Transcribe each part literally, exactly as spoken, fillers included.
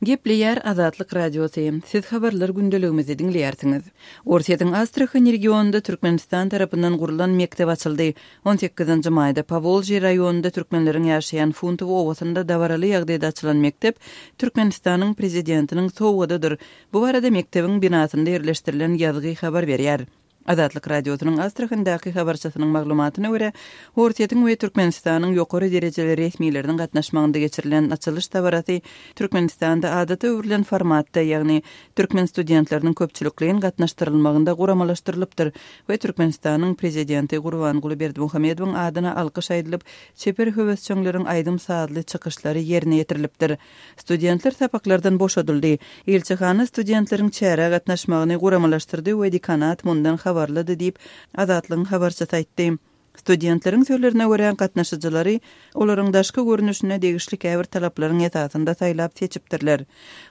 Gepleýär Azatlyk Radiosy. Siz habarlar gündeligimizi diňleýärsiňiz. Orsýetiň Astrahan regionynda Türkmenistan tarapyndan gurlan mekdep açyldy. On sekizinji maýda Powolžýe raýonynda türkmenleriň ýaşaýan Funtowo obasynda dabaraly ýagdaýda açylan mekdep Türkmenistanyň prezidentiniň sowgadydyr. Bu barada mekdebiň binasynda ýerleşdirilen ýazgy habar berýär. Azatlyk Radiosynyň Astrahandaky habarçysynyň maglumatyna görä, Orsýetiň we Türkmenistanyň ýokary derejeli resmileriniň gatnaşmagynda geçirilen açylyş dabarasy Türkmenistanda adata öwrülen formatda, ýagny türkmen studentleriniň köpçülikleýin gatnaşdyrylmagynda guramalaşdyrylypdyr we Türkmenistanyň prezidenti Gurbanguly Berdimuhamedowyň adyna alkyş aýdylyp, çeper höwesjeňleriň aýdym-sazly çykyşlary ýerine ýetirilipdir. Studentler sapaklardan boşadyldy. Ilçihana studentleriň çärä gatnaşmagyny guramalaşdyrdy we dekanat mundan habarlydy diýip, Azatlygyň habarçysy aýtdy. Studentleriň sözlerine görä, gatnaşyjylary olaryň daşky görnüşine degişli käbir talaplaryň esasynda saýlap seçipdirler.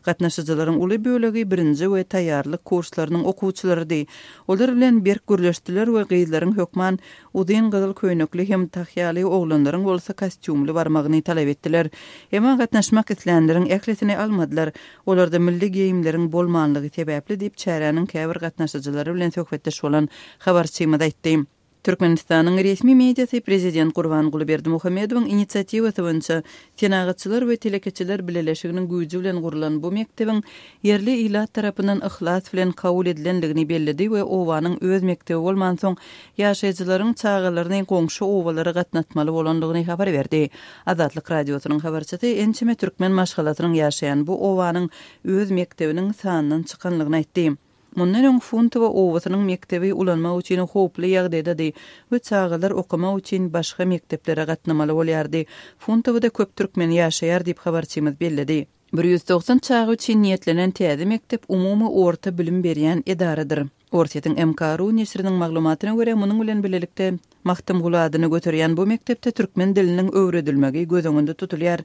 Gatnaşyjylaryň uly bölegi birinji we taýýarlyk kurslarynyň okuwçylarydy. Olar bilen berk gürleşdiler we gyzlaryň hökman uzyn gyzyl köýnekli hem tahýaly, oglanlaryň bolsa kostýumly barmagyny talap etdiler. Emma gatnaşmak islänleriň ählisini almadylar. Olarda milli geýimleriň bolmanlygy sebäpli diýip, çäräniň käbir gatnaşyjylary bilen söhbetdeş bolan habarçymyz aýtdy. Türkmenistanyň resmi mediasy prezident Gurbanguly Berdimuhamedowyň inisiatiwasy boýunça Senagatçylar we telekeçiler bileleşiginiň güýji bilen gurlan bu mekdebiň ýerli ilat tarapyndan yhlas bilen kabul edilendigini belledi we obanyň öz mekdebi bolmansoň ýaşaýjylaryň çagalaryny goňşy obalara gatnatmaly bolandygyny habar berdi. Azatlyk Radiosynyň habarçysy ençeme türkmen maşgalasynyň ýaşaýan bu obanyň öz mekdebiniň sandan çykanlygyny aýtdy. Mundan öň Funtowo obasynyň mekdebi ulanmak üçin howply ýagdaýdady we çagalar okamak üçin başga mekdeplere gatnamaly bolýardy. Funtowoda köp türkmen ýaşaýar diýip habarçymyz belledi. Bir ýüz togsan çaga üçin niýetlenen täze mekdep umumy orta bilim berýän edaradyr. Orsýetiň M K ru neşiriniň maglumatyna görä, munuň bilen birlikde Magtymguly adyny göterýän bu mekdepde türkmen diliniň öwredilmegi göz öňünde tutulýar.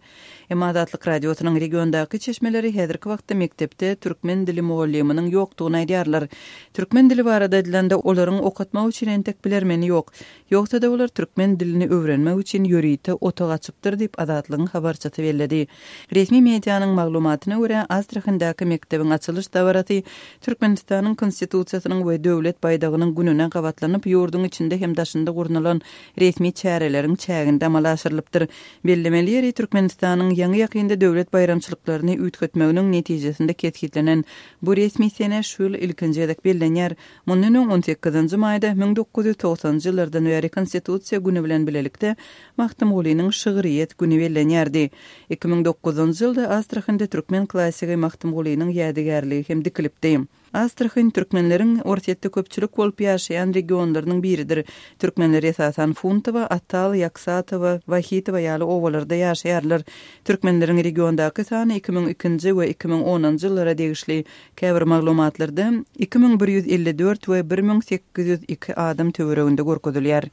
Emma Azatlyk Radiosynyň regiondaky çeşmeleri häzirki wagtda mekdepde türkmen dili mugallymynyň ýokdugyny aýdýarlar. Türkmen dili barada aýdylanda olaryň okatmak üçin entek bilermeni ýok. Ýogsa-da olar türkmen dilini öwrenmek üçin ýörite otag açypdyr diýip Azatlygyň habarçysy belledi. Resmi medianyň maglumatyna görä, Astrahandaky mekdebiň açylyş dabarasy Türkmenistanyň Konstitusiýasynyň we döwlet baýdagynyň gününe gabatlanyp, ýurduň içinde hem daşynda gurnalan resmi çäreleriň çäginde amala aşyrylypdyr. Bellemeli ýeri Türkmenistanyň ýaňy ýakynda döwlet baýramçylyklaryny üýtgetmeginiň netijesinde kesgitlenen bu resmi sene şu ýyl ilkinji gezek bellenýär. Mundan öň on sekizinji maýda müň dokuz ýüz togsanjy ýyllardan bäri Konstitusiýa günü bilen birlikde Magtymgulynyň şygryýet günü bellenýärdi. Iki müň dokuzynjy ýylda Astrahanda türkmen klassigi Magtymgulynyň ýadygärligi hem dikilipdi. Astrahan türkmenleriň Orsýetde köpçülik bolup ýaşaýan regionlarynyň biridir. Türkmenler esasan Funtowa, Atal, Ýaksatowa, Wahitowa ýaly obalarda ýaşaýarlar. Türkmenleriň regiondaky sany iki müň ikinji we iki müň onunjy ýyllara degişli käbir maglumatlarda iki müň bir ýüz elli dört we bir müň sekiz ýüz iki adam töwereginde görkezilýär.